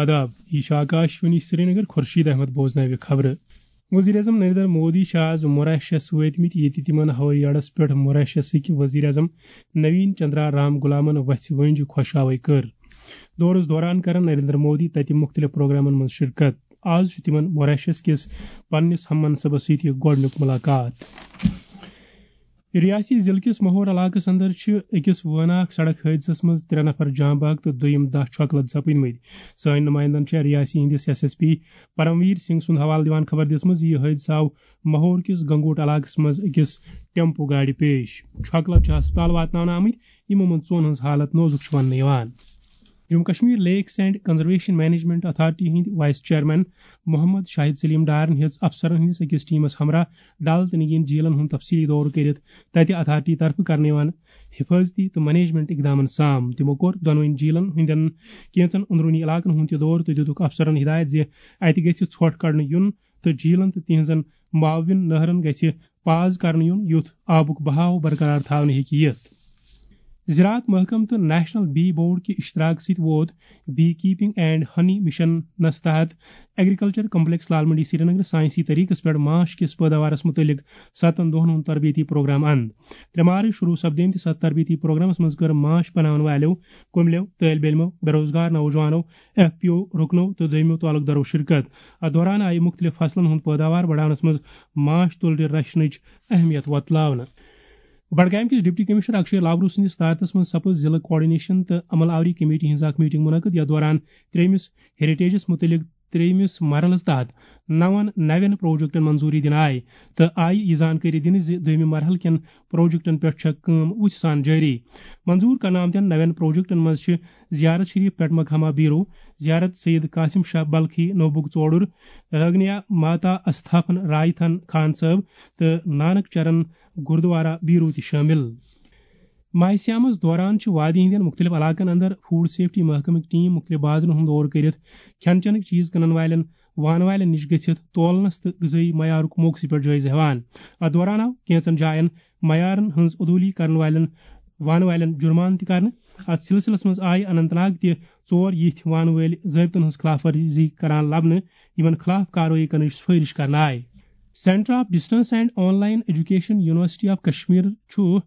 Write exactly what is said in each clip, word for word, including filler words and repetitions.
آداب، یہِ چھُ آکاش وانی سرینگر۔ خورشید احمد بوزناوِ خبرٕ۔ وزیر اعظم نریندر مودی چھِ آز موریشس وٲتمٕتۍ، ییٚتہِ تِمن ہوٲیی اڈس پٮ۪ٹھ موریشسٕکۍ وزیر اعظم نوین چندرا رام غلامن وژھِ وٲنٛجہِ خۄشاوٕے کٔر۔ دورس دوران کرن نریندر مودی تتہِ مُختٔلِف پروگرامن منٛز شرکت۔ آز چھُ تِمن موریشس کِس پننِس ہم منصبس سۭتۍ یہِ گۄڈٕنیُک ملاقات۔ ریاستی ضلعہٕ کِس مہور علاقس اندر چھِ أکِس وٲناکھ سڑک حٲدثس منٛز ترٛےٚ نفر جاں بحق تہٕ دوٚیِم دَہ چھۄکہٕ لد سپٕدمٕتۍ۔ سٲنۍ نمائندن چھےٚ ریاستی ہٕنٛدِس ایس ایس پی پرمویر سنگھ سُنٛد حوالہٕ دِوان خبر دِژمٕژ زِ یہِ حٲدثہٕ آو مہور کِس گنگوٹ علاقس منٛز أکِس ٹیمپو گاڑِ پیش۔ چھۄکہٕ لد چھِ ہسپتال واتناونہٕ آمٕتۍ، یِمو منٛز ژۄن ہٕنٛز حالت نوزُک چھِ وننہٕ یِوان۔ جموں کشمیر لیکس اینڈ کنزرویشن مینجمنٹ اتھارٹی ہٕنٛدۍ وائس چیئرمین محمد شاہد سلیم ڈارن ہیٚژ افسرن ہٕنٛدِس أکِس ٹیمس ہمراہ ڈل تہٕ نگین جھیلن ہُنٛد تفصیلی دورٕ کٔرِتھ تتہِ اتھارٹی طرفہٕ کرنہٕ یِوان حفاظتی تہٕ مینجمنٹ اقدامن سام۔ تِمو کوٚر دۄنوٕنی جھیلن ہٕنٛدٮ۪ن کینژن أنٛدروٗنی علاقن ہُنٛد تہِ دورٕ تہٕ دِتُکھ افسرن ہدایت زِ اتہِ گژھِ ژھۄٹھ کڑنہٕ یُن تہٕ جھیلن تہٕ تِہنٛزن معاون نہرن گژھِ پاز کرنہٕ یُن، یُتھ آبُک بہاو برقرار تھاونہٕ ہیٚکہِ یِتھ۔ زراعت محکمہٕ تہٕ نیشنل بی بورڈ کہِ اشتراک سۭتۍ ووت بی کیپنگ اینڈ ہنی مشنس تحت ایگریکلچر کمپلیکس لال منڈی سرینگر سائنسی طریقس پٮ۪ٹھ ماچھ کِس پٲداوارس مُتعلق ستن دۄہن ہُنٛد تربیتی پروگرام اند۔ ترٛےٚ مارچ شروع سپدیمتِس اتھ تربیتی پروگرامس منٛز کٔر ماچھ بناون والٮ۪و، کُملٮ۪و، طٲلبِ علمو، بے روزگار نوجوانو، ایف پی او رُکنو تہٕ دوٚیمو تعلق دارو شرکت۔ اتھ دوران آیہِ مُختٔلِف فصلن ہُنٛد پٲداوار بڑاونس منٛز ماچھ تُلرِ رچھنٕچ اہمیت وۄتلاونہٕ۔ بڈگامہِ کِس ڈپٹی کمشنر اکشے لاورو سٕنٛدِس صدارتس منٛز سپٕز ضلعہٕ کوآرڈینیشن تہٕ عمل آوری کمیٹی ہٕنٛز اکھ میٹنگ منعقد، یتھ دوران ترٛیٚیمِس ہیریٹیجس مُتعلق ترٛیٚیمِس مرحلس تحت نون نوٮ۪ن پروجیکٹن منظوٗری دِنہٕ آیہِ تہٕ آیہِ یہِ زانکٲری دِنہٕ زِ دوٚیمہِ مرحلہٕ کٮ۪ن پروجیکٹن پٮ۪ٹھ چھےٚ کٲم وُژھِ سان جٲری۔ منظوٗر کرنہٕ آمتٮ۪ن نوٮ۪ن پروجیکٹن منٛز چھِ زیارت شریف پیٹھ مقامہ بیرو، زیارت سید قاسم شاہ بلخی نوبُک ژوڈُر، رگنیا ماتا استھاپن رائتھن خان صٲب تہٕ نانک چرن گردوارہ بیرو تہِ شٲمِل۔ ماہِ صیامس دوران چھِ وادی ہٕنٛدٮ۪ن مُختٔلِف علاقن اندر فوڈ سیفٹی محکمٕکۍ ٹیم مُختٔلِف بازرن ہُنٛد دورٕ کٔرِتھ کھٮ۪ن چٮ۪نٕکۍ چیٖز کٕنن والٮ۪ن، وانہٕ والٮ۪ن نِش گٔژھِتھ تولنس تہٕ غذٲیی معیارُک موقعہٕ سٕے پٮ۪ٹھ جٲیزٕ ہٮ۪وان۔ اتھ دوران آو کینٛژن جاین معیارن ہٕنٛز عدوٗلی کرن والٮ۪ن، وانہٕ والٮ۪ن جُرمانہٕ تہِ کرنہٕ۔ اتھ سلسلس منٛز آیہِ اننت ناگ تہِ ژور یِتھۍ وانہٕ وٲلۍ ضٲبطن ہٕنٛز خلاف ورزی کران لبنہٕ، یِمن خلاف کاروٲیی کرنٕچ سفٲرش کرنہٕ آیہِ۔ Centre of distance and on line education university of Kashmir چھُ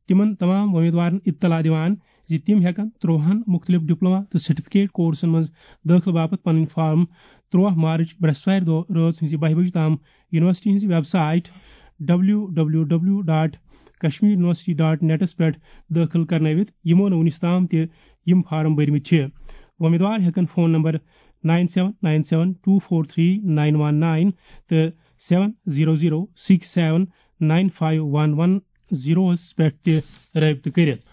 تِمن تمام وۄمیدوارن اطلاع دِوان زِ تِم ہٮ۪کن ترٛوہن مُختٔلِف ڈپلوما تہٕ سرٹیفکیٹ کورسن منٛز دٲخلہٕ باپتھ پنٕنۍ فارم ترٛوہ مارچ برٛٮ۪سوارِ دۄہ رٲژ ہٕنٛزِ بَہہِ بجہِ تام یونیورسٹی ہٕنٛزِ website W W W dot Kashmir university dot نیٹس پٮ۪ٹھ دٲخل کرنٲوِتھ، یِمو نہٕ وُنِس تام تہِ یِم فارم بٔرمٕتۍ چھِ۔ وۄمیدوار ہٮ۪کن phone number nine seven nine seven two four three nine one nine تہٕ seven zero zero six seven nine five one one زیروہس پٮ۪ٹھ تہِ رٲبطہٕ کٔرِتھ۔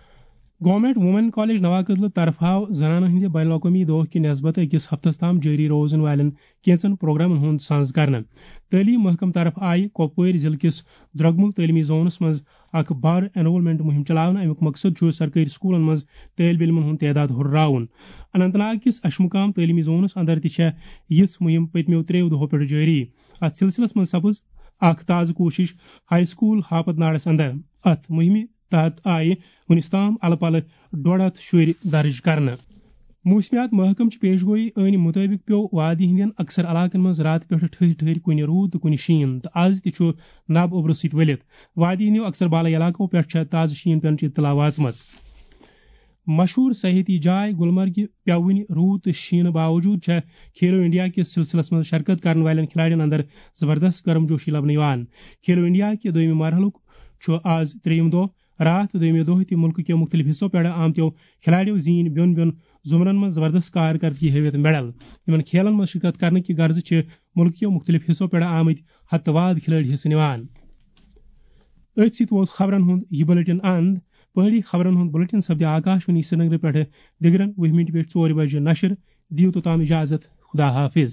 گورنمنٹ وومین کالج نواکدلہٕ طرفہٕ آو زنانن ہٕنٛدِ بین الاقوٲمی دۄہ کہِ نسبت أکِس ہفتس تام جٲری روزن والٮ۪ن کینژن پروگرامن ہُنٛد سانز کرنہٕ۔ تعلیٖم محکمہٕ طرفہٕ آیہِ کۄپوٲرۍ ضلعہٕ کِس درۄگمُل تعلیٖمی زونس منٛز اکھ بار انرولمنٹ مُہِم چلاونہٕ۔ اَمیُک مقصد چھُ سرکٲرۍ سکوٗلن منٛز طٲلبہِ علمن ہُنٛد تعداد ہُرراوُن۔ اننت ناگ کِس اشمُقام تعلیٖمی زونس اندر تہِ چھےٚ یِژھ مُہِم پٔتمیو ترٛیٚیو دۄہو پٮ۪ٹھ جٲری۔ اتھ سلسلس منٛز سپٕز اکھ تازٕ کوٗشش ہاے سکوٗل ہاپت ناڑس اندر۔ اتھ مُہِمہِ تحت آیہِ وُنِس تام الہٕ پلہٕ ڈۄڈ ہتھ شُرۍ درٕج کرنہٕ۔ موسمیات محکمہٕ چہِ پیش گویی ٲنۍ مُطٲبِق پیوٚو وادی ہٕنٛدٮ۪ن اکثر علاقن منٛز راتہٕ پٮ۪ٹھٕ ٹھٔہرۍ ٹھٔہرۍ کُنہِ روٗد تہٕ کُنہِ شیٖن، تہٕ از تہِ چھُ نب اوٚبرٕ سۭتۍ ؤلِتھ۔ وادی ہٕنٛدیو اکثر بالٲیی علاقو پٮ۪ٹھ چھےٚ تازٕ شیٖن پٮ۪نٕچ اطلاع وٲژمٕژ۔ مشہوٗر سیاحتی جاے گلمرگہِ پیوٚو وُنہِ روٗد تہٕ شیٖنہٕ باوجوٗد چھےٚ کھیلو انڈیا کِس سلسلس منٛز شرکت کرن والٮ۪ن کھلاڑٮ۪ن اندر زبردست گرم جوشی لبنہٕ یِوان۔ کھیلو انڈیا کہِ دوٚیمہِ مرحلُک چھُ آز ترٛیٚیِم دۄہ۔ راتھ تہٕ دوٚیمہِ دۄہ تہِ مُلکہٕ کیو مُختٔلِف حصو پٮ۪ٹھ آمتیو کھلاڑیو زیٖنۍ بیوٚن بیوٚن زُمرن منٛز زبردست کارکردگی ہٲوِتھ میڈل۔ یِمن کھیلن منٛز شرکت کرنہٕ کہِ غرضہٕ چھِ مُلکہٕ کیو مُختٔلِف حصو پٮ۪ٹھ آمٕتۍ ہتہٕ واد کھلٲڑۍ حصہٕ نِوان۔ أتھۍ سۭتۍ ووت خبرن ہُنٛد یہِ بُلٹن اند۔ پہٲڑی خبرن ہُنٛد بُلٹن سپدِ آکاش وانی سرینگرٕ پٮ۪ٹھٕ دِگرن وُہہِ مِنٹہِ پٮ۪ٹھ ژورِ بجہِ نشر۔ دِیِو توٚتام اجازت۔ خدا حافظ۔